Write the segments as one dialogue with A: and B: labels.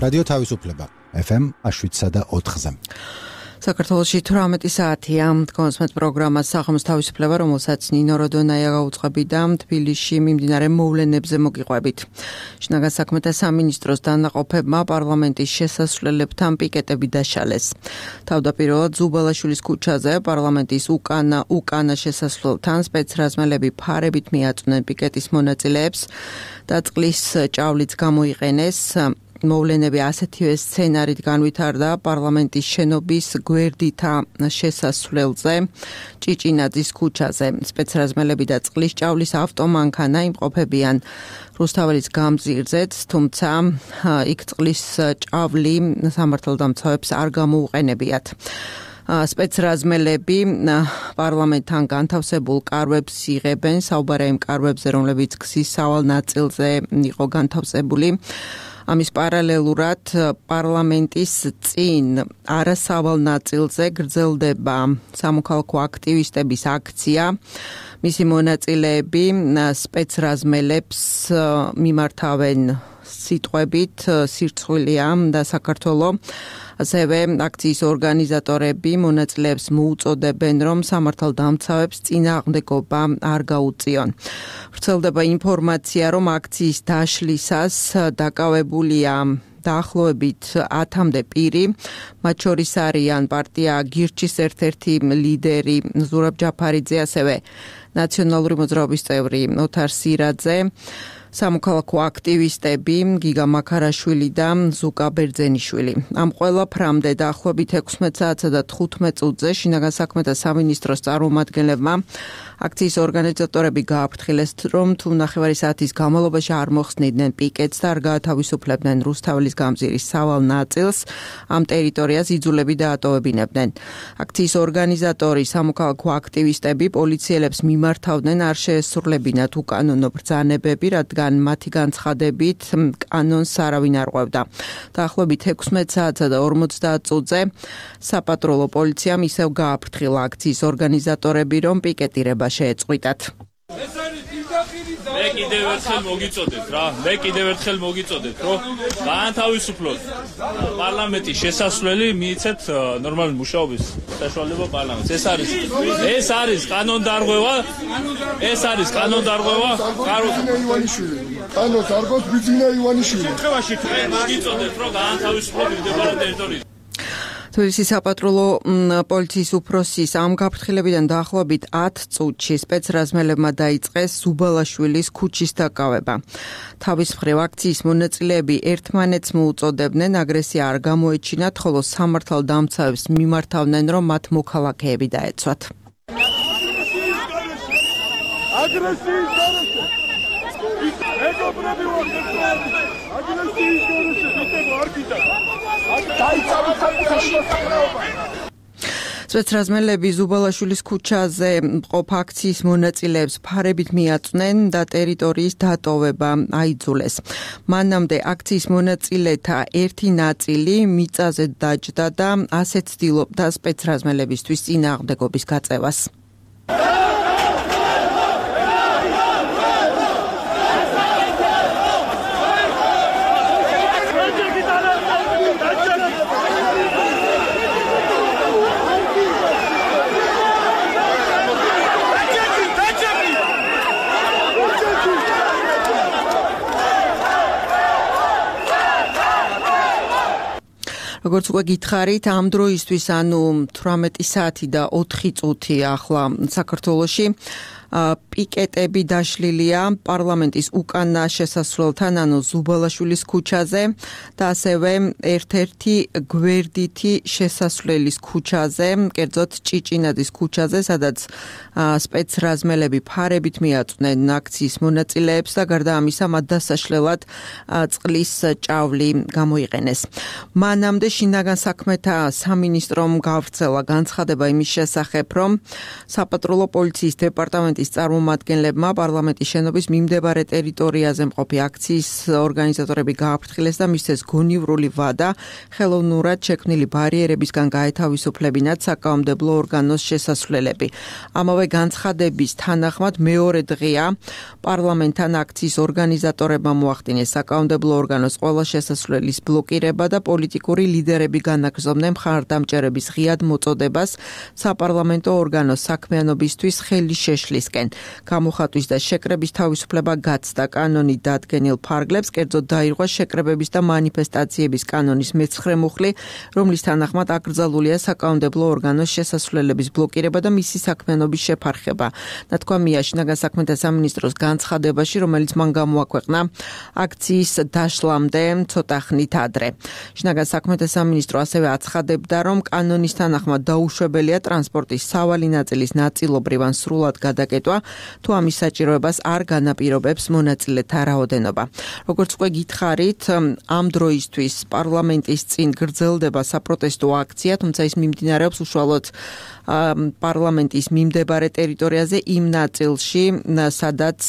A: რადიო თავისუფლება FM 7.4-ზე.
B: საქართველოში 18 საათია კონსმეთ პროგრამა სახმის თავისუფლება, რომელსაც ნინო როდონაია გაუწყებდა თბილისში მიმდინარე მოვლენებზე მოგიყვებით. შინაგან საქმეთა სამინისტროს დანაყოფებმა პარლამენტის შესასვლელებთან პიკეტები დაშალეს. თავდაპირველად ზუბალაშვილის ქუჩაზე პარლამენტის უკანა შესასვლელთან სპეცრაზმელები ფარებით მიაწვნენ პიკეტის მონაწილეებს და წყლის ჭავლიც გამოიყენეს. მოვლენები ასეთივე სცენარით განვითარდა პარლამენტის შენობის გვერდითა შესასვლელზე ჭიჭინაძის ქუჩაზე. სპეცრაზმელები და წყლის ჭავლის ავტომანქანა იმყოფებიან რუსთაველის გამზირზეც, თუმცა იქ წყლის ჭავლი სამართალდამცავებს არ გამოუყენებიათ. სპეცრაზმელები პარლამენტთან განთავსებულ კარვებს იღებენ, საუბარია იმ კარვებზე, რომლებიც გზის სავალ ნაწილზე იყო განთავსებული. ამის პარალელურად პარლამენტის წინ არასავალ ნაწილზე გრძელდება სამოქალაქო აქტივისტების აქცია. მისი მონაწილეები სპეცრაზმელებს მიმართავენ სიტყვებით სირცხვილია და საქართველოს ასევე აქციის ორგანიზატორები მონაწილეებს მოუწოდებენ, რომ სამართალდამცავებს წინააღმდეგობა არ გაუწიონ. ვრცელდება ინფორმაცია, რომ აქციის დაშლისას დაკავებულია დაახლოებით 10-მდე პირი, მათ შორის არიან პარტია გირჩის ერთ-ერთი ლიდერი ზურაბ ჯაფარიძე, ასევე ნაციონალური მოძრაობის წევრი ოთარ სირაძე, სამოქალაქო აქტივისტები გიგა მაქარაშვილი და ზუკა ბერძენიშვილი. ამ ყველა ფრამდე დაახლოებით 16 საათსა და 15 წუთზე შინაგან საქმეთა სამინისტროს წარმომადგენლებმა აქციის ორგანიზატორები გააფრთხილეს, რომ თუ ნახევარი საათის განმავლობაში არ მოხსნიდნენ პიკეტს და არ გაათავისუფლებდნენ რუსთაველის გამზირის სავალ ნაწილს, ამ ტერიტორიას იძულები დაატოვებინებდნენ. აქციის ორგანიზატორი სამოქალაქო აქტივისტები პოლიციელებს მიმართავდნენ არ შეესრულებინათ უკანონო ბრძანებები, რადგან მათი განცხადებით კანონს არავინ არ ყვევდა. დაახლოებით 16 საათსა და 50 წუთზე საპატრულო პოლიციამ ისევ გააფრთხილა აქციის ორგანიზატორები, რომ პიკეტირება შეეწყვიტათ.
C: მე კიდევ ერთხელ მოგიწოდეთ, რომ გაანთავისუფლოთ პარლამენტის შესასვლელი, მიიცეთ ნორმალური მუშაობის საშუალება პარლამენტს. ეს არის კანონდარღვევა,
D: კანონს არ გოს ბიძინა ივანიშვილი.
C: შემთხვევაში მოგიწოდეთ, რომ გაანთავისუფლოთ მდებარე ტერიტორიიდან.
B: თბილისის საპატრულო პოლიციის უფროსის ამ გაფრთხილებიდან დაახლოებით 10 წუთში სპეცრაზმელებმა დაიწყეს ზუბალაშვილის ქუჩის დაკავება. თავის მხრივ აქციის მონაწილეები ერთმანეთს მოუწოდებდნენ აგრესია არ გამოეჩინათ, ხოლო სამართალდამცავებს მიმართავდნენ, რომ მათ მოქალაქეები დაეცვათ.
D: აგრესიის გარეშე ეკოპრები აგრესიის გარეშე ვიტებო არ გიტა
B: სპეცრაზმელები ზუბალაშვილის ქუჩაზე მყოფ აქციის მონაწილეებს ფარებით მიაწვნენ და ტერიტორიის დატოვება აიძულეს. მანამდე აქციის მონაწილეთა ერთი ნაწილი მიწაზე დაჯდა და ასეთ ცდილობდა სპეცრაზმელებისთვის წინააღმდეგობის გაწევას. როგორც უკვე გითხარით, ამ დროისთვის, ანუ 18 საათი და 4 წუთი ახლა საქართველოში პიკეტები დაშლილია პარლამენტის უკანა შესასვლელთან, ანუ ზუბალაშვილის ქუჩაზე და ასევე ერთ-ერთი გვერდითი შესასვლელის ქუჩაზე, კერძოდ ჭიჭინაძის ქუჩაზე, სადაც სპეცრაზმელები ფარებით მიაწვნენ აქციის მონაწილეებს და გარდა ამისა მათ დასაშლელად წყლის ჭავლი გამოიყენეს. მანამდე შინაგან საქმეთა სამინისტრომ გავრცელა განცხადება იმის შესახებ, რომ საპატრულო პოლიციის დეპარტამენტი პარლამენტის წარმომადგენლებმა პარლამენტის შენობის მიმდებარე ტერიტორიაზე მყოფი აქციის ორგანიზატორები გააფრთხილეს და მისცეს გონივრული ვადა ხელოვნურად შექმნილი ბარიერებისგან გაეთავისუფლებინათ საკანონმდებლო ორგანოს შესასვლელები. ამავე განცხადების თანახმად მეორე დღეა პარლამენტთან აქციის ორგანიზატორებმა მოახდინეს საკანონმდებლო ორგანოს ყველა შესასვლელის ბლოკირება და პოლიტიკური ლიდერები განაგრძობდნენ მხარდამჭერების ღიად მოწოდებას საპარლამენტო ორგანოს საქმიანობისთვის ხელის შეშლისკენ. გამოხატვის და შეკრების თავისუფლება გაცდა კანონით დადგენილ ფარგლებს, კერძოდ დაირღვა შეკრებების და მანიფესტაციების კანონის მე-9 მუხლი, რომლის თანახმად აკრძალულია საკანონმდებლო ორგანოს შესასვლელების ბლოკირება და მისი საქმიანობის შეფარხება. ნათქვამია შინაგან საქმეთა სამინისტროს განცხადებაში, რომელიც მან გამოაქვეყნა აქციის დაშლამდე ცოტა ხნით ადრე. შინაგან საქმეთა სამინისტრო ასევე აცხადებდა, რომ კანონის თანახმად დაუშვებელია ტრანსპორტის სავალი ნაწილის ნაწილობრივ ან სრულად გადაკეტვა, თუ ამის საჭიროებას არ განაპირობებს მონაწილეთა რაოდენობა. როგორც უკვე გითხარით, ამ დროისთვის პარლამენტის წინ გრძელდება საპროტესტო აქცია, თუმცა ის მიმდინარეობს უშუალოდ პარლამენტის მიმდებარე ტერიტორიაზე იმ ნაწილში, სადაც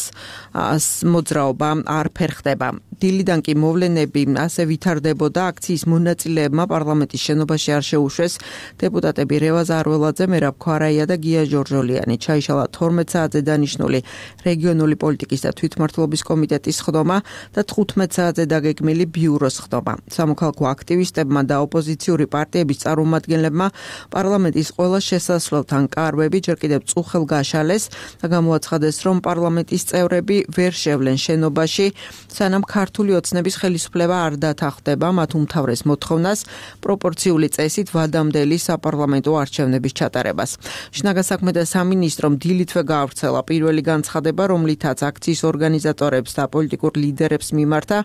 B: მოძრაობა არ ფერხდება. დილიდან კი მოვლენები ასე ვითარდებოდა, აქციის მონაწილეებმა პარლამენტის შენობაში არ შეუშვეს დეპუტატები რევაზ არველაძე, მერაბ ქვარაია და გია ჯორჯოლიანი. ჩაიშალა 12 საათზე დანიშნული რეგიონული პოლიტიკის და თვითმმართველობის კომიტეტის ხდომა და 15 საათზე დაგეგმილი ბიუროს ხდომა. სამოქალაქო აქტივისტებმა და ოპოზიციური პარტიების წარმომადგენლებმა პარლამენტის ყველა შესასვლელთან კარვები ჯერ კიდევ წუხელ გაშალეს და გამოაცხადეს, რომ პარლამენტის წევრები ვერ შევლენ შენობაში, სანამ ქართული ოცნების ხელისუფლება არ დათანხმდება მათ უმთავრეს მოთხოვნას პროპორციული წესით ვადამდელი საპარლამენტო არჩევნების ჩატარებას. შინაგან საქმეთა სამინისტრომ დილითვე გაავრცელა პირველი განცხადება, რომლითაც აქციის ორგანიზატორებს და პოლიტიკურ ლიდერებს მიმართა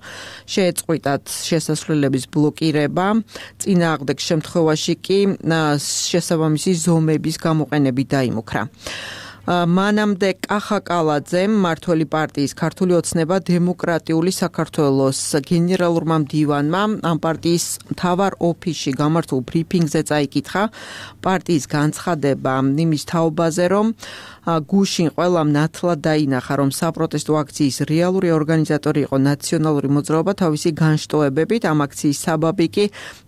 B: შეეწყვიტათ შესასვლელების ბლოკირება, წინააღმდეგ შემთხვევაში კი შესაბამისი ზომების გამოყენებით დაიმუქრა. მანამდე კახა კალაძემ მმართველი პარტიის ქართული ოცნება დემოკრატიული საქართველოს გენერალურმა მდივანმა ამ პარტიის მთავარ ოფისში გამართულ ბრიფინგზე წაიკითხა პარტიის განცხადება იმის თაობაზე, რომ გუშინ ყველამ ნათლად დაინახა, რომ საპროტესტო აქციის რეალური ორგანიზატორი იყო ნაციონალური მოძრაობა თავისი განშტოებებით, ამ აქციის საბაბი კი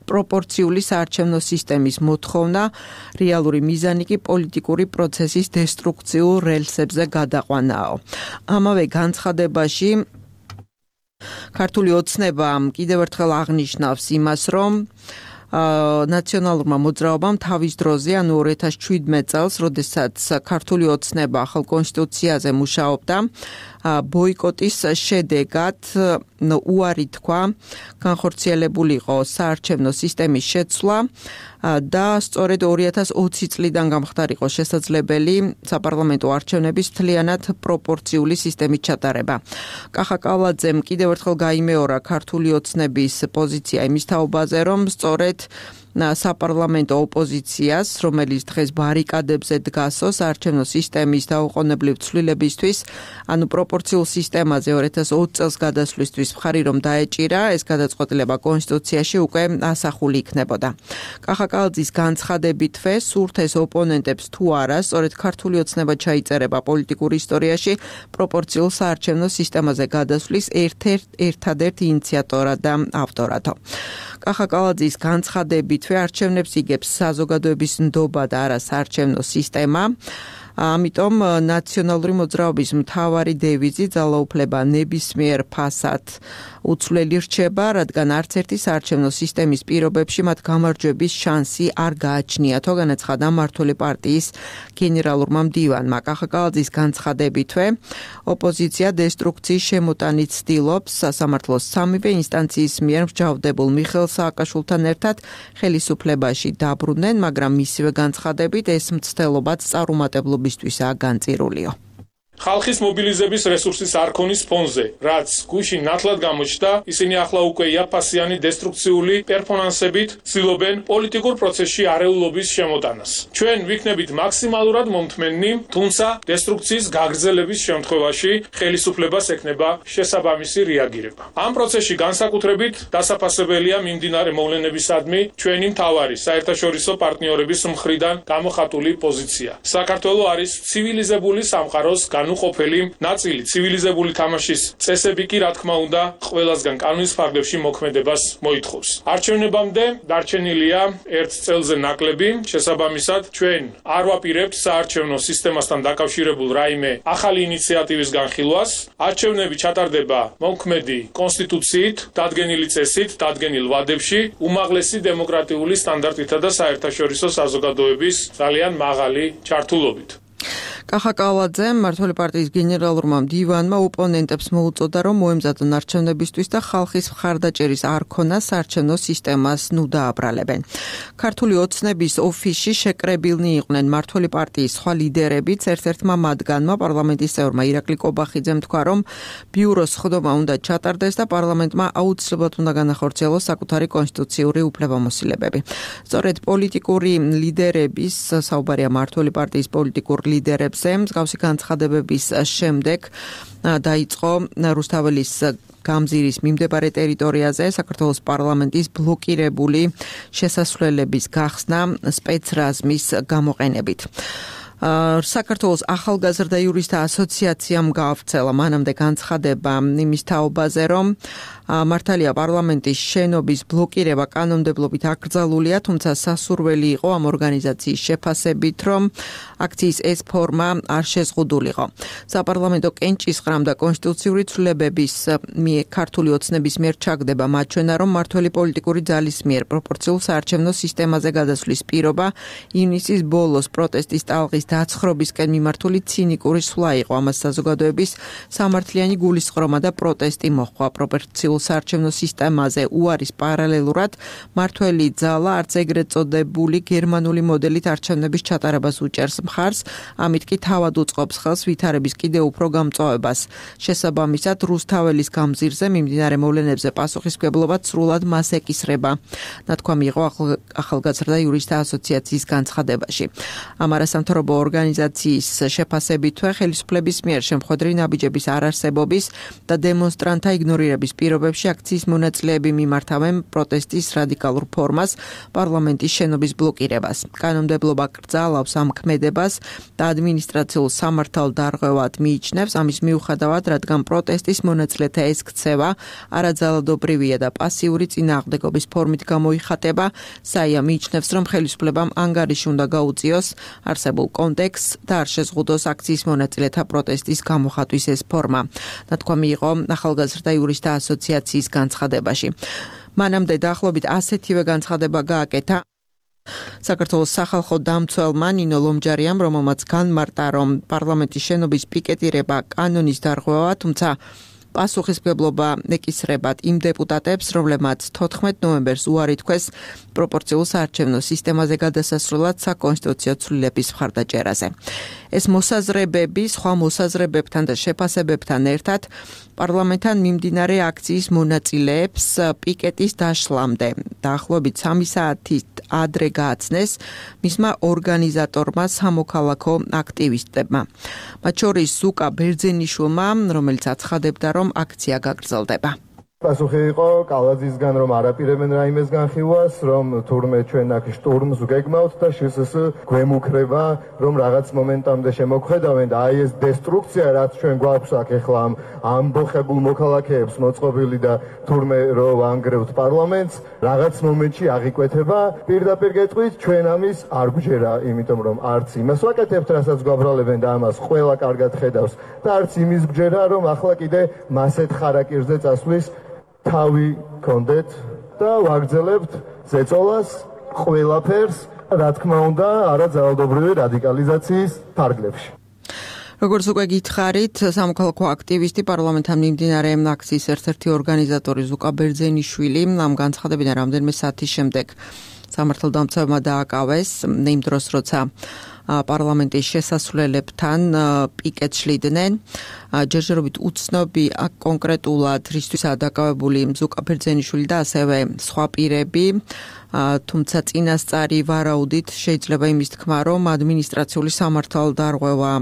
B: პროპორციული საარჩევნო სისტემის მოთხოვნა, რეალური მიზანი კი პოლიტიკური პროცესის დესტრუქციულ რელსებზე გადაყვანაო. ამავე განცხადებაში ქართული ოცნება კიდევ ერთხელ აღნიშნავს იმას, რომ ნაციონალურმა მოძრაობამ თავის დროზე, ანუ 2017 წელს, როდესაც ქართული ოცნება ახალ კონსტიტუციაზე მუშაობდა, ბოიკოტის შედეგად უარი თქვა განხორციელებული იყო საარჩევნო სისტემის შეცვლა და სწორედ 2020 წლიდან გამხდარიყო შესაძლებელი საპარლამენტო არჩევნების მთლიანად პროპორციული სისტემით ჩატარება. კახა კალაძემ კიდევ ერთხელ გაიმეორა ქართული ოცნების პოზიცია იმის თაობაზე, რომ სწორედ საპარლამენტო ოპოზიციას, რომელიც დღეს ბარიკადებზე დგასო საარჩევნო სისტემის დაუყოვნებლივ ცვლილებისთვის, ანუ პროპორციულ სისტემაზე 2020 წელს გადასვლისთვის მხარი რომ დაეჭირა, ეს გადაწყვეტილება კონსტიტუციაში უკვე ასახული იქნებოდა. კახა კალაძის განცხადებითვე სურთ ეს ოპონენტებს თუ არა, სწორედ ქართული ოცნება ჩაიწერება პოლიტიკურ ისტორიაში პროპორციულ საარჩევნო სისტემაზე გადასვლის ერთადერთ ინიციატორად და ავტორად. კახა კალაძის განცხადებითვე არჩევნებს იგებს საზოგადოების ნდობა და არა საარჩევნო სისტემა. ამიტომ ნაციონალური მოძრაობის მთავარი დევიზი ძალაუფლება ნებისმიერ ფასად უცვლელი რჩება, რადგან არც ერთი საარჩევნო სისტემის პირობებში მათ გამარჯვების შანსი არ გააჩნიათო, განაცხადა მმართველი პარტიის გენერალურმა მდივანმა. კახა კალაძის განცხადებითვე ოპოზიცია დესტრუქციის შემოტანით ცდილობს სასამართლოს სამივე ინსტანციის მიერ მსჯავრდებულ მიხეილ სააკაშვილთან ერთად ხელისუფლებაში დაბრუნდნენ, მაგრამ მისივე განცხადებით ეს მცდელობაც წარუმატებლობისთვისაა განწირულიო.
E: ხალხის მობილიზების რესურსის არქონის ფონზე, რაც გუშინ ნათლად გამოჩნდა, ისინი ახლა უკვე იაფასიანი დესტრუქციული პერფორმანსებით ცდილობენ პოლიტიკურ პროცესში არეულობის შემოტანას. ჩვენ ვიქნებით მაქსიმალურად მომთმენნი, თუმცა დესტრუქციის გაგრძელების შემთხვევაში ხელისუფლებას ექნება შესაბამისი რეაგირება. ამ პროცესში განსაკუთრებით დასაფასებელია მიმდინარე მოვლენებისადმი ჩვენი მთავარი საერთაშორისო პარტნიორების მხრიდან გამოხატული პოზიცია. საქართველო არის ცივილიზებული სამყაროს განუყოფელი ნაწილი, ცივილიზებული თამაშის წესები კი რა თქმა უნდა ყველასგან კანონის ფარგლებში მოქმედებას მოითხოვს. არჩევნებამდე დარჩენილია 1 წელზე ნაკლები, შესაბამისად ჩვენ არ ვაპირებთ საარჩევნო სისტემასთან დაკავშირებულ რაიმე ახალი ინიციატივის განხილვას. არჩევნები ჩატარდება მოქმედი კონსტიტუციით, დადგენილი წესით, დადგენილ ვადებში, უმაღლესი დემოკრატიული სტანდარტითა და საერთაშორისო საზოგადოების ძალიან მაღალი ჩართულობით.
B: კახა კალაძე, მმართველი პარტიის გენერალურმა მდივანმა ოპონენტებს მოუწოდა, რომ მოემზადონ არჩევნებისთვის და ხალხის მხარდაჭერის არქონას საარჩევნო სისტემას დააბრალებენ. ქართული ოცნების ოფისში შეკრებილნი იყვნენ მმართველი პარტიის სხვა ლიდერებიც, ერთ-ერთმა მათგანმა პარლამენტის წევრმა ირაკლი კობახიძემ თქვა, რომ ბიუროს სხდომა უნდა ჩატარდეს და პარლამენტმა აუცილებლად უნდა განახორციელოს საკუთარი კონსტიტუციური უფლებამოსილებები. სწორედ პოლიტიკური ლიდერების საუბარია მმართველი პარტიის პოლიტიკურ ლიდერებს მსგავსი განცხადებების შემდეგ დაიწყო რუსთაველის გამზირის მიმდებარე ტერიტორიაზე საქართველოს პარლამენტის ბლოკირებული შესასვლელების გახსნა სპეცრაზმის გამოყენებით. საქართველოს ახალგაზრდა იურისტთა ასოციაციამ გაავრცელა მანამდე განცხადება იმის თაობაზე, რომ მართალია პარლამენტის შენობის ბლოკირება კანონმდებლობით აკრძალულია, თუმცა სასურველი იყო ამ ორგანიზაციის შეფასებით, რომ აქციის ეს ფორმა არ შეზღუდულიყო. საპარლამენტო კენჭისყრამ და კონსტიტუციური ცვლილებების ქართული ოცნების მიერ ჩაგდება მაჩვენა, რომ მმართველი პოლიტიკური ძალის მიერ პროპორციულ საარჩევნო სისტემაზე გადასვლის პირობა ივნისის ბოლოს პროტესტის ტალღის დაცხრობისკენ მიმართული ცინიკური სვლა იყო. ამას საზოგადოების სამართლიანი გულისწყრომა და პროტესტი მოჰყვა. პროპორციულ საარჩევნო სისტემაზე უარის პარალელურად მმართველი ძალა არც ეგრეთ წოდებული გერმანული მოდელით არჩევნების ჩატარებას უჭერს მხარს, ამით კი თავად უწყობს ხელს ვითარების კიდევ უფრო გამწვავებას. შესაბამისად, რუსთაველის გამზირზე მიმდინარე მოვლენებზე პასუხისმგებლობა სრულად მას ეკისრება. ნათქვამი იყო ახალგაზრდა იურისტთა ასოციაციის განცხადებაში. ამ არასამთავრობო ორგანიზაციის შეფასებითვე ხელისუფლების მიერ შემხვედრი ნაბიჯების არარსებობის და დემონსტრანტთა იგნორირების პირობებში აქციის მონაწილეები მიმართავენ პროტესტის რადიკალურ ფორმას, პარლამენტის შენობის ბლოკირებას. კანონმდებლობა კრძალავს ამ ქმედებას და ადმინისტრაციულ სამართალ დარღვევად მიიჩნევს, ამის მიუხედავად, რადგან პროტესტის მონაწილეთა ეს ქცევა არაძალადობრივია და პასიური წინააღმდეგობის ფორმით გამოიხატება, საია მიიჩნევს, რომ ხელისუფლებამ ანგარიში უნდა გაუწიოს არსებულ კონტექსტს და არ შეზღუდოს აქციის მონაწილეთა პროტესტის გამოხატვის ეს ფორმა. ნათქვამი იყო ახალგაზრდა იურისტთა ასოციაციის განცხადებაში. მანამდე დაახლოებით ასეთივე განცხადება გააკეთა საქართველოს სახალხო დამცველმა ნინო ლომჯარიამ, რომელმაც განმარტა, რომ პარლამენტის შენობის პიკეტირება კანონის დარღვევა, თუმცა პასუხისმგებლობა ეკისრებათ იმ დეპუტატებს, რომლებმაც 14 ნოემბერს უარი თქვეს პროპორციულ საარჩევნო სისტემაზე გადასასვლელად საკონსტიტუციო ცვლილების მხარდაჭერაზე. ეს მოსაზრებები სხვა მოსაზრებებთან და შეფასებებთან ერთად პარლამენტთან მიმდინარე აქციის მონაწილეებს პიკეტის დაშლამდე დაახლოებით 3 საათით ადრე გააცნეს მისმა ორგანიზატორმა სამოქალაქო აქტივისტებმა. მათ შორის ზუკა ბერძენიშვილმა, რომელიც აცხადებდა, რომ აქცია გაგრძელდება.
F: პასუხი იყო კალაძისგან, რომ არაპირებენ რაიმეს განხილვას, რომ თურმე ჩვენ აქ შტურმს გეგმავთ და შესს გვემუქრება, რომ რაღაც მომენტამდე შემოგხედავენ და აი ეს დესტრუქცია, რაც ჩვენ გვაქვს აქ ახლა ამ ამბოხებულ მოქალაქეებს მოწყობილი და თურმე რომ ანგრევთ პარლამენტს, რაღაც მომენტში აღიკვეთება. პირდაპირ გეტყვით, ჩვენ ამის არ გვჯერა, იმიტომ რომ არც იმას ვაკეთებთ, რასაც გვაბრალებენ და ამას ყველა კარგად ხედავს და არც იმის გვჯერა, რომ ახლა კიდე მასეთ ხარაკირზე წასვლის თავი გქონდეთ და ვაგრძელებთ ზეწოლას ყველაფერს, რა თქმა უნდა, არაძალადობრივი რადიკალიზაციის ფარგლებში.
B: როგორც უკვე გითხარით, სამოქალაქო აქტივისტი პარლამენტთან მიმდინარე აქციის ერთ-ერთი ორგანიზატორი ზუკა ბერძენიშვილი ამ განცხადებიდან რამდენიმე საათის შემდეგ სამართალდამცავმა დააკავეს იმ დროს, როცა პარლამენტის შესასვლელებთან პიკეტს შლიდნენ. ჯერჯერობით უცნობი კონკრეტულად რისთვისაა დაკავებული ზუკა ბერძენიშვილი და ასევე სხვა პირები. თუმცა წინასწარი ვარაუდით შეიძლება იმის თქმა, რომ ადმინისტრაციული სამართალდარღვევა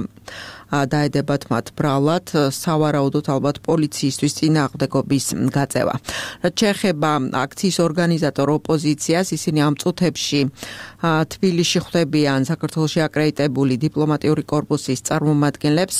B: დაედებათ მათ ბრალად, სავარაუდოდ ალბათ პოლიციისთვის წინააღმდეგობის გაწევა. რაც შეეხება აქციის ორგანიზატორ ოპოზიციას, ისინი ამ წუთებში თბილისში ხვდებიან საქართველოში აკრედიტებული დიპლომატიური კორპუსის წარმომადგენლებს.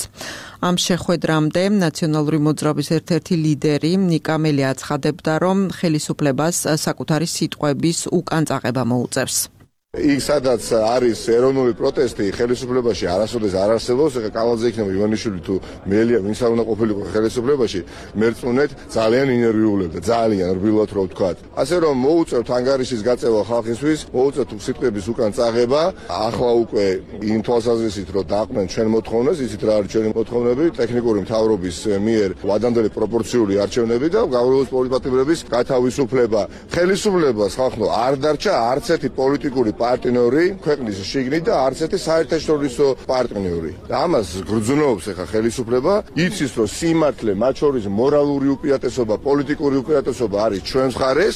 B: ამ შეხვედრამდე ნაციონალური მოძრაობის ერთ-ერთი ლიდერი ნიკა მელი აცხადებდა, რომ ხელისუფლებას საკუთარი სიტყვების უკან წაღება მოუწევს.
G: იქ სადაც არის ეროვნული პროტესტი, ხელისუფლებაში არასოდეს არ არსებობს, ეხლა კალაძე იქნება ივანიშვილი თუ მელია, ვინც არ უნდა ყოფილიყო ხელისუფლებაში, მერწმუნეთ ძალიან ინერვიულებდა, ძალიან რბილად რო ვთქვათ. ასე რომ მოუწევთ ანგარიშის გაწევა ხალხისთვის, მოუწევთ სიტყვების უკან წაღება, ახლა უკვე იმ თვალსაზრისით რომ დაყნენ ჩვენ მოთხოვნას, იცით რა არის ჩვენი მოთხოვნები, ტექნიკური მთავრობის მიერ ვადამდელი პროპორციული არჩევნები და გავრცელების პოლიტიკურების გათავისუფლება. ხელისუფლებას ხალხო არ დარჩა არც ერთი პოლიტიკური პარტნიორი ქვეყნის შიგნით და არც ერთი საერთაშორისო პარტნიორი. ამას გრძნობს ახლა ხელისუფლება, იცის რომ სიმართლე, მათ შორის მორალური უპირატესობა, პოლიტიკური უპირატესობა არის ჩვენს მხარეს.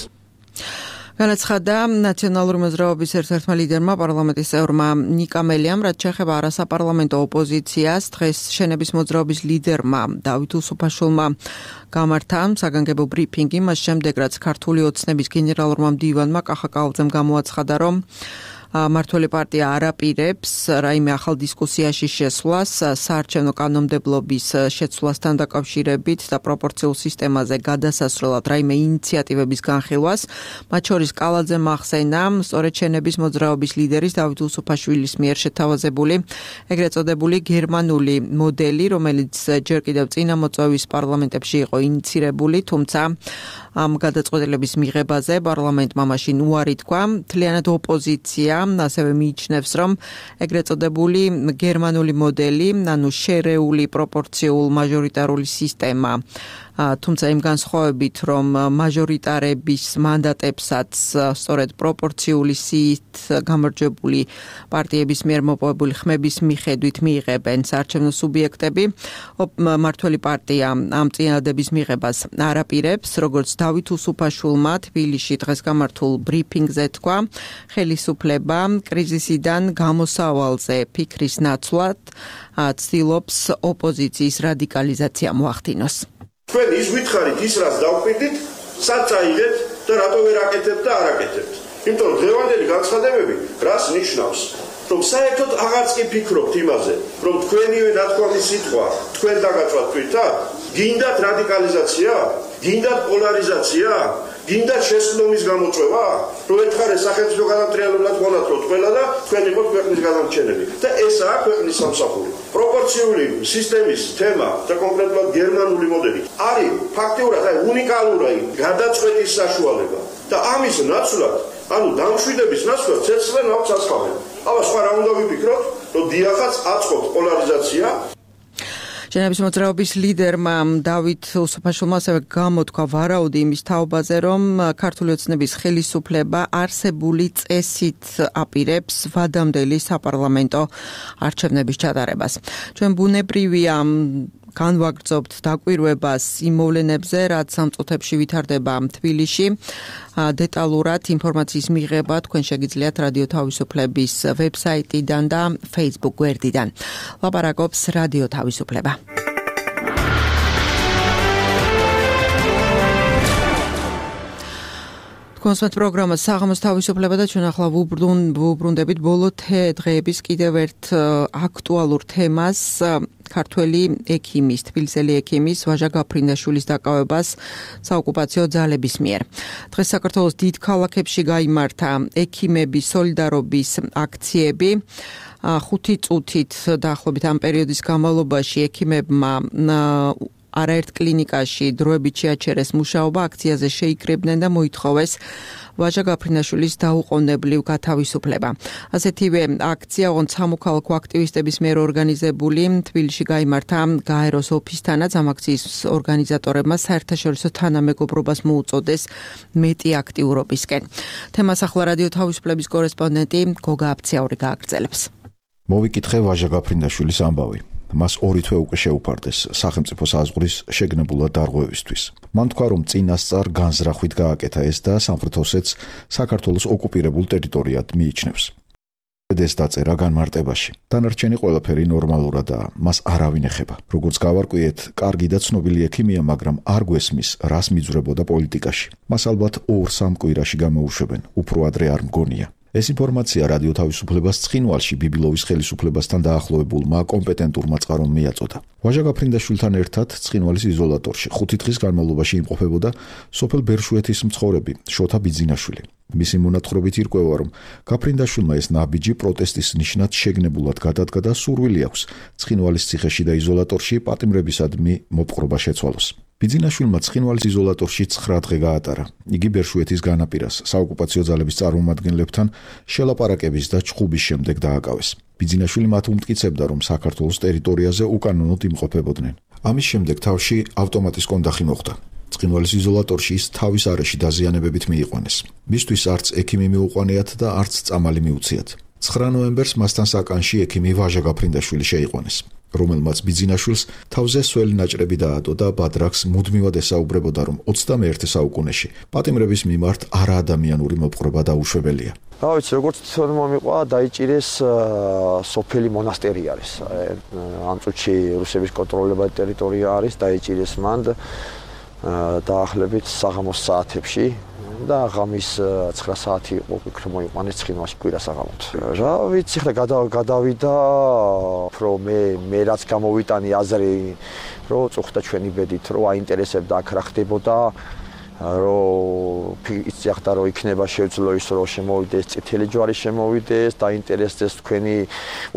B: განაცხადა ნაციონალური მოძრაობის ერთ-ერთმა ლიდერმა, პარლამენტის წევრმა ნიკა მელიამ, რაც შეეხება არასაპარლამენტო ოპოზიციას, დღეს შენების მოძრაობის ლიდერმა დავით უსუფაშვილმა გამართა საგანგებო ბრიფინგი, მას შემდეგ რაც ქართული ოცნების გენერალურმა მდივანმა კახა კალაძემ გამოაცხადა, რომ მართველი პარტია არ აპირებს რაიმე ახალ დისკუსიაში შესვლას საარჩევნო კანონმდებლობის შეცვლასთან დაკავშირებით და პროპორციულ სისტემაზე გადასასვლელად რაიმე ინიციატივების განხილვას. მათ შორის კალაძემ ახსენა სწორედ შენების მოძრაობის ლიდერის დავით უსუფაშვილის მიერ შეთავაზებული ეგრეთ წოდებული გერმანული მოდელი, რომელიც ჯერ კიდევ წინა მოწვევის პარლამენტებში იყო ინიცირებული, თუმცა ამ გადაწყვეტილების მიღებაზე პარლამენტმა მაშინ უარი თქვა. მთლიანად ოპოზიცია ასევე მიიჩნევს, რომ ეგრეთ წოდებული გერმანული მოდელი, ანუ შერეული პროპორციულ მაჟორიტარული სისტემა, თუმცა იმ განსხვავებით, რომ მაჟორიტარების მანდატებსაც სწორედ პროპორციული სიით გამარჯვებული პარტიების მიერ მოპოვებული ხმების მიხედვით მიიღებენ საარჩევნო სუბიექტები, მართველი პარტია ამ წინადადების მიღებას არ აპირებს, როგორც დავით უსუფაშვილმა თბილისში დღეს გამართულ ბრიფინგზე თქვა, ხელისუფლება კრიზისიდან გამოსავალზე ფიქრის ნაცვლად ცდილობს ოპოზიციის რადიკალიზაცია მოახდინოს.
H: თქვენ ის ვითხარით ის რაც დავკვირდით, სად წაიღეთ და რატო ვერ აკეთებთ და არ აკეთებთ. იმიტომ რომ დღევანდელი განცხადებები რას ნიშნავს? რომ საერთოდ აღარც კი ფიქრობთ იმაზე, რომ თქვენივე ნათქვამი სიტყვა თქვენ დაგაწვათ თვითონ, გინდათ რადიკალიზაცია, გინდათ პოლარიზაცია, გინდათ შესაბამის გამოწვევა, რომ ერთხელ სახელმწიფო განმტრიალებლად მონათროთ ყველა და თქვენ იყოთ ქვეყნის გადამრჩენელი. და ესაა ქვეყნის სამსახური. პროპორციული სისტემის თემა და კონკრეტულად გერმანული მოდელი არის ფაქტიურად უნიკალური გადაწყვეტის საშუალება. და ამის ნაცვლად, ანუ დამშვიდების ნაცვლად ცეცხლენ აქვს ასხავენ. აბა სხვა რა უნდა ვიფიქროთ, რომ დიახაც აწყობთ პოლარიზაცია.
B: შენების მოძრაობის ლიდერმა დავით უსუფაშვილმა ასევე გამოთქვა ვარაუდი იმის თაობაზე, რომ ქართული ოცნების ხელისუფლება არსებული წესით აპირებს ვადამდელი საპარლამენტო არჩევნების ჩატარებას. ჩვენ ბუნებრივია განვაგრძობთ დაკვირვებას იმ მოვლენებზე, რაც ამ წუთებში ვითარდება თბილისში. დეტალურად ინფორმაციის მიღება თქვენ შეგიძლიათ რადიო თავისუფლების ვებსაიტიდან და Facebook გვერდიდან. ლაპარაკობს რადიო თავისუფლება. კონსერტ პროგრამა საღამოს თავისუფლება და ჩვენ ახლა ვუბრუნდებით ბოლო დღეების კიდევ ერთ აქტუალურ თემას, ქართველი ექიმის, თბილისელი ექიმის ვაჟა გაფრინდაშვილის დაკავებას საოკუპაციო ძალების მიერ. დღეს საქართველოს დიდ ქალაქებში გაიმართა ექიმების სოლიდარობის აქციები. 5 წუთით დაახლოებით ამ პერიოდის განმავლობაში ექიმებმა არაერთ კლინიკაში დროებით შეაჩერეს მუშაობა, აქციაზე შეიკრიბნენ და მოითხოვეს ვაჟა გაფრინდაშვილის დაუყოვნებლივ გათავისუფლება. ასეთივე აქცია ოღონდ სამოქალაქო აქტივისტების მიერ ორგანიზებული თბილისში გაიმართა გაეროს ოფისთანაც. ამ აქციის ორგანიზატორებმა საერთაშორისო თანამეგობრობას მოუწოდეს მეტი აქტიურობისკენ. თემას ახლა რადიო თავისუფლების კორესპონდენტი გოგა აფციური გააგრძელებს.
A: მოვიკითხე ვაჟა გაფრინდაშვილის ამბავი. მას 2 თვე უკვე შეუფარდეს სახელმწიფო საზღვრის შეგნებულად დარღვევისთვის. მან თქვა, რომ წინასწარ განზრახვით გააკეთა ეს და სამხრეთ ოსეთს საქართველოს ოკუპირებულ ტერიტორიად მიიჩნევს. ეს დაწერა განმარტებაში. დანარჩენი ყველაფერი ნორმალურადაა, მას არავინ ეხება. როგორც გავარკვიეთ, კარგი და ცნობილი ექიმია, მაგრამ არ გვესმის, რას მიძვრებოდა პოლიტიკაში. მას ალბათ 2-3 კვირაში გამოუშვებენ, უფრო ადრე არ მგონია. ეს ინფორმაცია რადიო თავისუფლებას ცხინვალში ბიბილოვის ხელისუფლებასთან დაახლოებულმა კომპეტენტურმა წყარომ მიაწოდა. ვაჟა გაფრინდაშვილთან ერთად ცხინვალის იზოლატორში 5 დღის განმავლობაში იმყოფებოდა სოფელ ბერშუეთის მცხოვრები შოთა ბიძინაშვილი. მისი მონათხრობით ირკვევა, რომ გაფრინდაშვილმა ეს ნაბიჯი პროტესტის ნიშნად შეგნებულად გადადგა და სურვილი აქვს ცხინვალის ციხეში და იზოლატორში პატიმრებისადმი მოპყრობა შეცვალოს. ბიძინაშვილმა ცხინვალის იზოლატორში 9 დღე გაატარა. იგი ბერშუეთის განაპირას საოკუპაციო ძალების წარმომადგენლებთან შელაპარაკების და ჩხუბის შემდეგ დააკავეს. ბიძინაშვილი მათ უმტკიცებდა, რომ საქართველოს ტერიტორიაზე უკანონოდ იმყოფებოდნენ. ამის შემდეგ თავში ავტომატის კონდახი მოხდა. ცხინვალის იზოლატორში ის თავის არეში დაზიანებებით მიიყვანეს. მისთვის არც ექიმი მიუყვანიათ და არც წამალი მიუციათ. 9 ნოემბერს მასთან საკანში ექიმი ვაჟა გაფრინდაშვილი შეიყვანეს, რომელმაც ბიძინაშვილს თავზე სველი ნაჭრები დაადო და ბადრაგს მუდმივად ესაუბრებოდა, რომ 21 საუკუნეში პატიმრების მიმართ არაადამიანური მოპყრობა დაუშვებელია.
I: რა ვიცი, როგორც მომიყვა, დაიჭირეს სოფელი მონასტერი არის. ამ წუთში რუსების კონტროლებადი ტერიტორია არის, დაიჭირეს მან დაახლოებით საღამოს საათებში და ღამის 9 საათი იყო იქ მოიყვანეს ცხინვალში კვირა საღამოთ. რა ვიცი, ხა გადავიდა, რომ მე რაც გამოვიტანი აზრი, რომ წუხდა ჩვენი ბედით, რომ აინტერესებდა აქ რა ხდებოდა, რომ იცახდა, რომ იქნება შეძლო ის, რომ შემოვიდეს წითელი ჯვარი შემოვიდეს, დაინტერესდეს თქვენი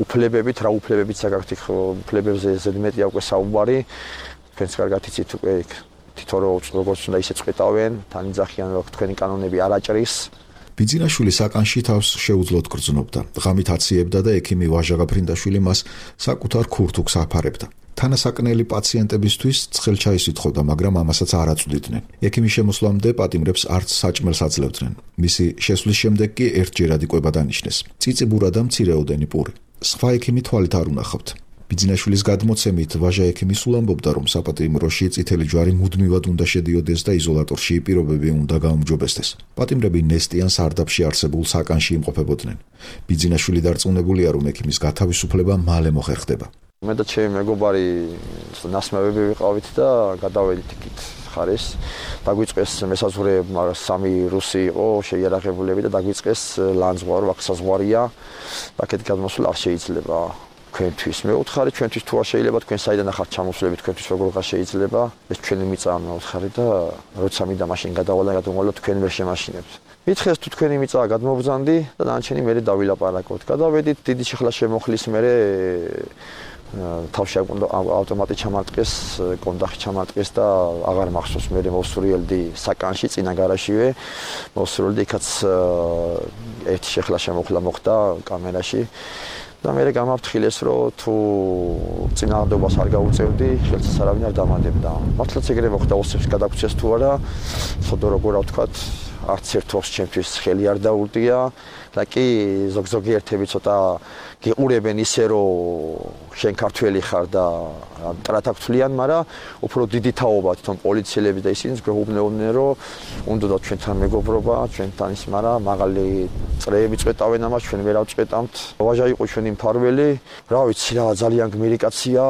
I: უფლებებით, რა უფლებებით საკუთარ უფლებებზე ზედმეტი აქვს საუბარი, თქვენს კარგად იცით უკვე თითო როგორც უნდა ისე წყვეტავენ, თან იძახიან, რომ თქვენი კანონები არ აჭრის.
A: ბიძინაშვილი საკანში თავს შეუძლოდ გრძნობდა. ღამით აციებდა და ექიმი ვაჟა გაფრინდაშვილი მას საკუთარ ქურთუქს აფარებდა. თანასაკნელი პაციენტებისთვის ცხელჩაის ითხოვდა, მაგრამ ამასაც არ აწვდიდნენ. ექიმის შემოსვლამდე პატიმრებს არც საჭმელს აძლევდნენ. მისი შესვლის შემდეგ კი ერთჯერად იყვება დანიშნეს. წიწიბურა და მცირეოდენი პური. სხვა ექიმი თვალით არ უნახავთ. ბიძინაშვილის გადმოცემით ვაჟა ექიმი სულ ამბობდა, რომ საპატიმროში წითელი ჯვარი მუდმივად უნდა შედიოდეს და იზოლატორში პირობები უნდა გაუმჯობესდეს. პატიმრები ნესტიან სარდაფში არსებულ საკანში იმყოფებოდნენ. ბიძინაშვილი დარწმუნებულია, რომ ექიმის გათავისუფლება მალე მოხერხდება.
I: მე და ჩემი მეგობარი ნასმევები ვიყავით და გადავედით იქით ხარეს. დაგვიწყეს მესაზღვრეებმა 3 რუსი იყო შეიარაღებულები და დაგვიწყეს ლანძღვარი, აქ საზღვარია. აქეთ გადმოსვლა არ შეიძლება. თქვენთვის მეუთხარი, ჩვენთვის თუ არ შეიძლება, თქვენ საიდან ახართ ჩამოსვლები, თქვენთვის როგორ აღარ შეიძლება, ეს ჩვენი მიწაა მეუთხარი და როცა მინდა მაშინ გადავალა თქვენ ვერ შემაშინებთ. მითხეს თუ თქვენი მიწაა გადმობრძანდი და დანარჩენი მერე დავილაპარაკოთ. გადავედით, დიდი შეხლა შემოხლის მერე თავში ავტომატი ჩამარტყეს, კონდახი ჩამარტყეს და აღარ მახსოვს, მერე მოვსურიელდი საკანში, წინა გარაჟშივე, მოვსურიელდი, იქაც ერთი შეხლა შემოხლა მოხდა კამერაში. და მე გამაფრთხილეს, რომ თუ წინააღმდეგობას არ გაუწევდი, ხელს არავინ არ დამანდებდა. მართლაც ეგრე მოხდა, ოსებს გადაგწეს თუ არა, ცოდო როგორ ვთქვათ, არც ერთ ოს ჩემთვის ხელი არ დაურდია და კი ზოგიერთები ცოტა გიყურებენ ისე, რომ შენ ქართველი ხარ და ტრატაკთვლიან, მაგრამ უფრო დიდი თაობა თვითონ პოლიციელები და ისინიც გვეუბნებოდნენ, რომ უნდა ჩვენთან მეგობრობა, ჩვენთან ის, მაგრამ მაღალი წრეები წვეტავენ ამას, ჩვენ ვერ ავწვეტამთ. ვაჟა იყო ჩვენი მფარველი, რა ვიცი რა, ძალიან გმირი კაცია,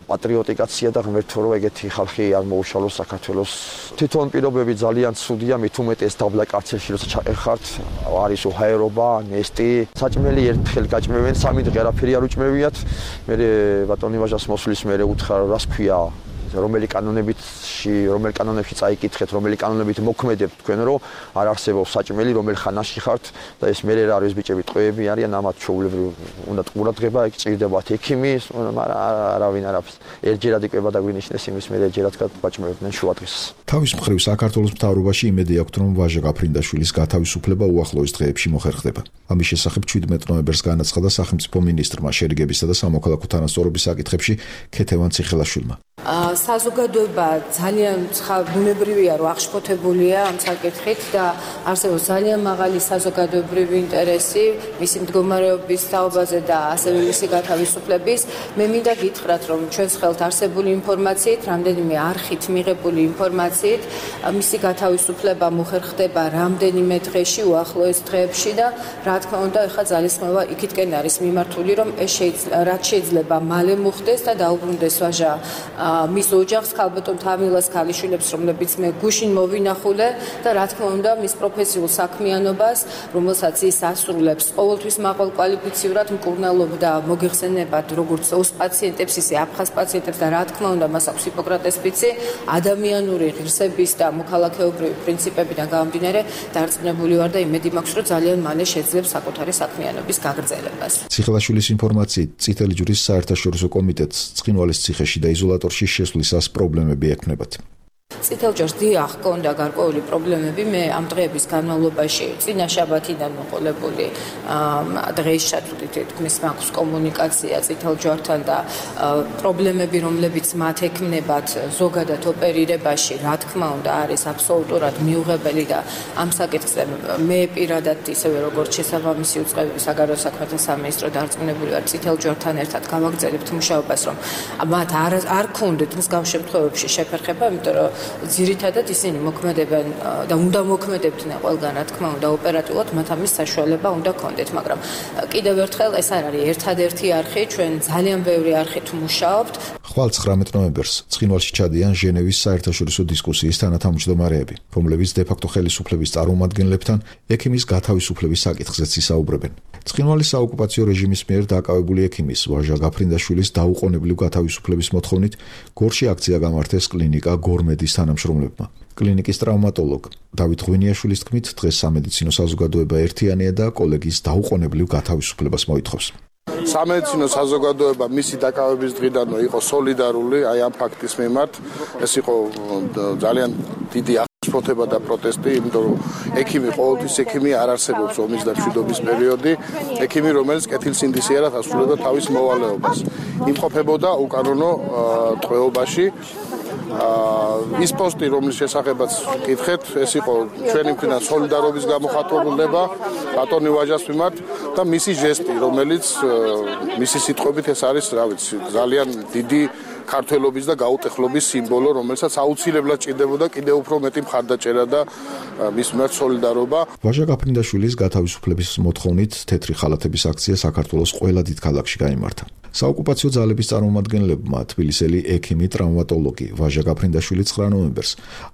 I: პატრიოტიკაცია და ღმერთო რომ ეგეთი ხალხი არ მოუშალოს საქართველოს. თვითონ პირობები ძალიან ცუდია, მით უმეტეს დაბლა კარცერში როცა ჩაყერხართ, არის უჰაერობა, ნესტი, საჭმელი ერთხელ გაჭმევენ, 3 დღე არაფერი არ უჭმევიათ. მე ბატონი ვაჟას მოსვლის მერე უთხრა, რას ქვია, რომელი კანონებში წაიკითხეთ, რომელი კანონებით მოქმედებთ თქვენ, რომ არ არსებობს საჭმელი, რომელ ხანაში ხართ და ეს მერე რა არის ბიჭები, ტყვეები არიან, ამათ ჩვეულებრივ უნდა ყურადღება, იქ ჭირდებათ ექიმი, მაგრამ არავინ არაფერს. ერთჯერად იკვება და გვინიშნეს იმის მერე ერთჯერად გაჭმევდნენ შუადღეს.
A: თავის მხრივ საქართველოს მთავრობაში იმედი აქვთ, რომ ვაჟა გაფრინდაშვილის გათავისუფლება უახლოეს დღეებში მოხერხდება. ამის შესახებ 17 ნოემბერს განაცხადა სახელმწიფო მინისტრმა შერიგებისა და სამოქალაქო თანასწორობის საკითხებში ქეთევან ციხელაშვილმა.
J: საზოგადოება ძალიან ბუნებრივია, რომ აღშფოთებულია ამ საკითხით და არსებობს ძალიან მაღალი საზოგადოებრივი ინტერესი მისი მდგომარეობის თაობაზე და ასევე მისი გათავისუფლების. მე მინდა გითხრათ, რომ ჩვენს ხელთ არსებული ინფორმაციით, რამდენიმე არხით მიღებული ინფორმაციით, მისი გათავისუფლება მოხერხდება რამდენიმე დღეში, უახლოეს დღეებში და რა თქმა უნდა, ეხლა ძალისხმევა იქითკენ არის მიმართული, რომ ეს რაც შეიძლება მალე მოხდეს და დაუბრუნდეს ვაჟა მის ოჯახს, ქალბატონ თამილას ქალიშვილებს, რომლებიც მე გუშინ მოვინახულე და რა თქმა უნდა მის პროფესიულ საქმიანობას, რომელსაც ის ასრულებს, ყოველთვის მაღალ კვალიფიციურად მკურნალობდა მოგეხსენებათ როგორც ოს პაციენტებს, ისე აფხაზ პაციენტებს და რა თქმა უნდა მას აქვს ჰიპოკრატეს ფიცი, ადამიანური ღირსების და მოქალაქეობრივი პრინციპებიდან გამომდინარე დარწმუნებული ვარ და იმედი მაქვს, რომ ძალიან მალე შეძლებს საკუთარი საქმიანობის გაგრძელებას.
A: ციხელაშვილის ინფორმაციით, წითელი ჯვრის საერთაშორისო კომიტეტს ცხინვალის ციხეში და იზოლატორში შესვლისას პრობლემები ექნებათ.
J: წითელ ჯვარს დიახ, ჰქონდა გარკვეული პრობლემები. მე ამ დღეების განმავლობაში წინა შაბათიდან მოყოლებული დღეის ჩათვლით თქმის მაქვს კომუნიკაცია წითელ ჯვართან და პრობლემები, რომლებიც მათ ექმნებათ ზოგადად ოპერირებაში, რა თქმა უნდა, არის აბსოლუტურად მიუღებელი და ამ საკითხზე მე პირადად ისევე როგორც შესაბამისი უწყებები საგარეო საქმეთა სამინისტრო დარწმუნებული ვარ წითელ ჯვართან ერთად გავაგრძელებთ მუშაობას, რომ მათ არ ქონდეთ მსგავს შემთხვევებში შეფერხება, იმიტომ რომ ძირითადად ისინი მოქმედებენ და უნდა მოქმედებდნენ ყველგან, რა თქმა უნდა, ოპერატიულად მათ ამის საშუალება უნდა ქონდეთ, მაგრამ კიდევ ერთხელ ეს არ არის ერთადერთი არხი, ჩვენ ძალიან ბევრი არხით მუშაობთ.
A: ხვალ 19 ნოემბერს ცხინვალში ჩადიან ჟენევის საერთაშორისო დისკუსიის თანათავმჯდომარეები, რომლებიც დე-ფაქტო ხელისუფლების წარმომადგენლებთან ექიმის გათავისუფლების საკითხზეც ისაუბრებენ. ცხინვალის საოკუპაციო რეჟიმის მიერ დაკავებული ექიმის ვაჟა გაფრინდაშვილის დაუყოვნებლივ გათავისუფლების მოთხოვნით გორში აქცია გამართეს კლინიკა გორმედის თანამშრომლებმა. კლინიკის ტრავმატოლოგ დავით ღვინიაშვილის თქმით, დღეს სამედიცინო საზოგადოება ერთიანია და კოლეგის დაუყოვნებლივ გათავისუფლებას მოითხოვს.
K: სამედიცინო საზოგადოება მისი დაკავების დღიდანვე იყო სოლიდარული აი ამ ფაქტის მიმართ. ეს იყო ძალიან დიდი აღშფოთება და პროტესტი, იმიტომ რომ ექიმი ყოველთვის ექიმი არ არსებობს ომის და მშვიდობის პერიოდი. ექიმი, რომელიც კეთილსინდისიერად ასრულებდა თავის მოვალეობას, იმყოფებოდა უკანონო ტყვეობაში. ის პოსტი, რომლის შესახებაც კითხეთ, ეს იყო ჩვენი მხრიდან სოლიდარობის გამოხატულება ბატონი ვაჟას მიმართ და მისი ჟესტი, რომელიც მისი სიტყვებით ეს არის, რა ვიცი, ძალიან დიდი ქართველობის და გაუტეხლობის სიმბოლო, რომელსაც აუცილებლად ჭირდებოდა კიდევ უფრო მეტი მხარდაჭერა და მის მიმართ სოლიდარობა.
A: ვაჟა გაფრინდაშვილის გათავისუფლების მოთხოვნით თეთრი ხალათების აქცია საქართველოს ყველა დიდ ქალაქში გაიმართა. საოკუპაციო ძალების წარმომადგენლებმა თბილისელი ექიმი ტრავმატოლოგი ვაჟა გაფრინდაშვილი 9 ნოემბერს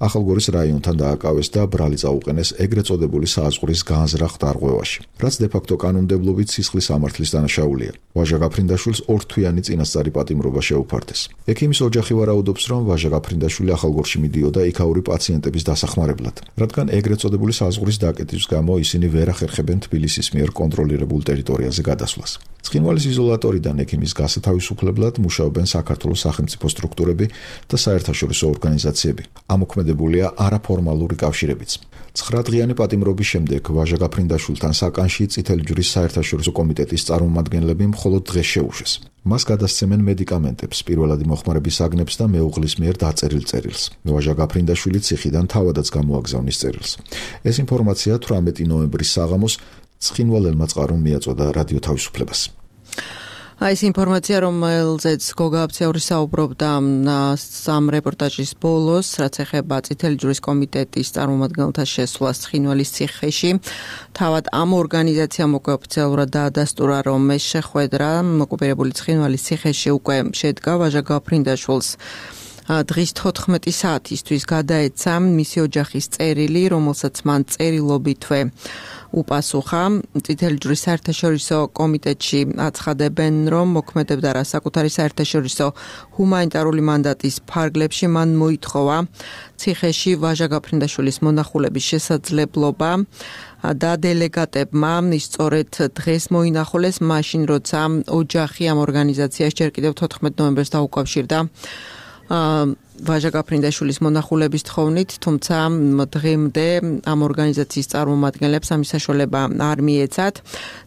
A: ახალგორის რაიონთან დააკავეს და ბრალი წაუყენეს ეგრეთ წოდებული სააზღვრის განზრახ დარღვევაში, რაც დე-ფაქტო კანონმდებლობით სისხლის სამართლის დანაშაულია. ვაჟა გაფრინდაშვილს ორთვიანი წინასწარი პატიმრობა შეუფარდეს. ექიმის ოჯახი ვარაუდობს, რომ ვაჟა გაფრინდაშვილი ახალგორში მიდიოდა იქაური პაციენტების დასახმარებლად, რადგან ეგრეთ წოდებული საზღვრის დაკეტვის გამო ისინი ვერ ახერხებენ თბილისის მიერ კონტროლირებულ ტერიტორიაზე გადასვლას. ცხინვალის იზოლატორიდან ექიმის გასათავისუფლებლად მუშაობენ საქართველოს სახელმწიფო სტრუქტურები და საერთაშორისო ორგანიზაციები. ამოქმედებულია არაფორმალური კავშირებიც. 9 დღიანი პატიმრობის შემდეგ ვაჟა გაფრინდაშვილთან საკანში წითელი ჯვრის საერთაშორისო კომიტეტის წარმომადგენლები მხოლოდ დღეს შეუშვეს. მას გადასცემენ მედიკამენტებს, პირველადი მოხმარების აგნებს და მეუღლის მიერ დაწერილ წერილს. ვაჟა გაფრინდაშვილი ციხიდან თავადაც გამოაგზავნის წერილს. ეს ინფორმაცია 18 ნოემბრის საღამოს ცხინვალელმა წყარომ მიაწოდა რადიო თავისუფლებას.
B: ეს ინფორმაცია, რომელზეც გოგა აბციური საუბრობდა სამ რეპორტაჟის ბოლოს, რაც ეხება წითელი ჯვრის კომიტეტის წარმომადგენელთა შესვლას ცხინვალის ციხეში. თავად ამ ორგანიზაციამ უკვე ოფიციალურად დაადასტურა, რომ ეს შეხვედრა ოკუპირებული ცხინვალის ციხეში უკვე შედგა ვაჟა გაფრინდაშვილს. დღის 14 საათისთვის გადაეცა მისი ოჯახის წერილი, რომელსაც მან წერილობითვე უპასუხა. წითელი ჯვრის საერთაშორისო კომიტეტში აცხადებენ, რომ მოქმედებდა რა საკუთარი საერთაშორისო ჰუმანიტარული მანდატის ფარგლებში მან მოითხოვა ციხეში ვაჟა გაფრინდაშვილის მონახულების შესაძლებლობა და დელეგატებმა ის სწორედ დღეს მოინახულეს, მაშინ როცა ოჯახი ამ ორგანიზაციას ჯერ კიდევ 14 ნოემბერს დაუკავშირდა ვაჟა გაფრინდაშვილის მონახულების თხოვნით, თუმცა დღემდე ამ ორგანიზაციის წარმომადგენლებს ამის საშუალება არ მიეცათ.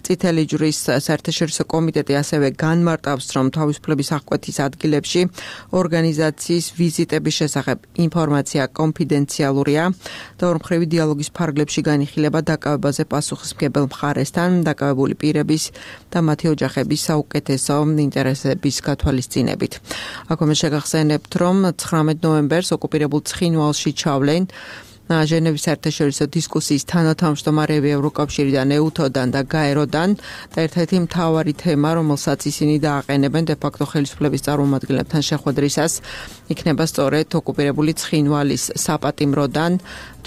B: წითელი ჯვრის საერთაშორისო კომიტეტი ასევე განმარტავს, რომ თავისუფლების აღკვეთის ადგილებში ორგანიზაციის ვიზიტების შესახებ ინფორმაცია კონფიდენციალურია და ორმხრივი დიალოგის ფარგლებში განიხილება დაკავებაზე პასუხისმგებელ მხარესთან, დაკავებული პირების და მათი ოჯახების საუკეთესო ინტერესების გათვალისწინებით. აქ შეგახსენებთ, რომ 19 ნოემბერს ოკუპირებულ ცხინვალში ჩავლენ ჟენევის საერთაშორისო დისკუსიის თანათავმჯდომარეები ევროკავშირიდან, ეუთოდან და გაეროდან და ერთ-ერთი მთავარი თემა, რომელსაც ისინი დააყენებენ დე-ფაქტო ხელისუფლების წარმომადგენლებთან შეხვედრისას, იქნება სწორედ ოკუპირებული ცხინვალის საპატიმროდან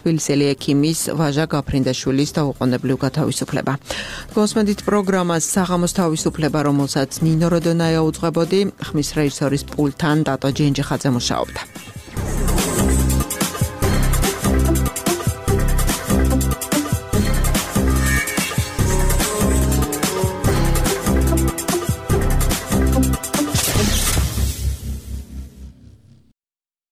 B: თბილისელი ექიმის ვაჟა გაფრინდაშვილის დაუყოვნებლივ გათავისუფლება. გოსმენდით პროგრამას საღამოს თავისუფლება, რომელსაც ნინო როდონაია უძღვებოდი, ხმის რეჟისორის პულტთან დატო ჯენჯიხაძე მუშაობდა.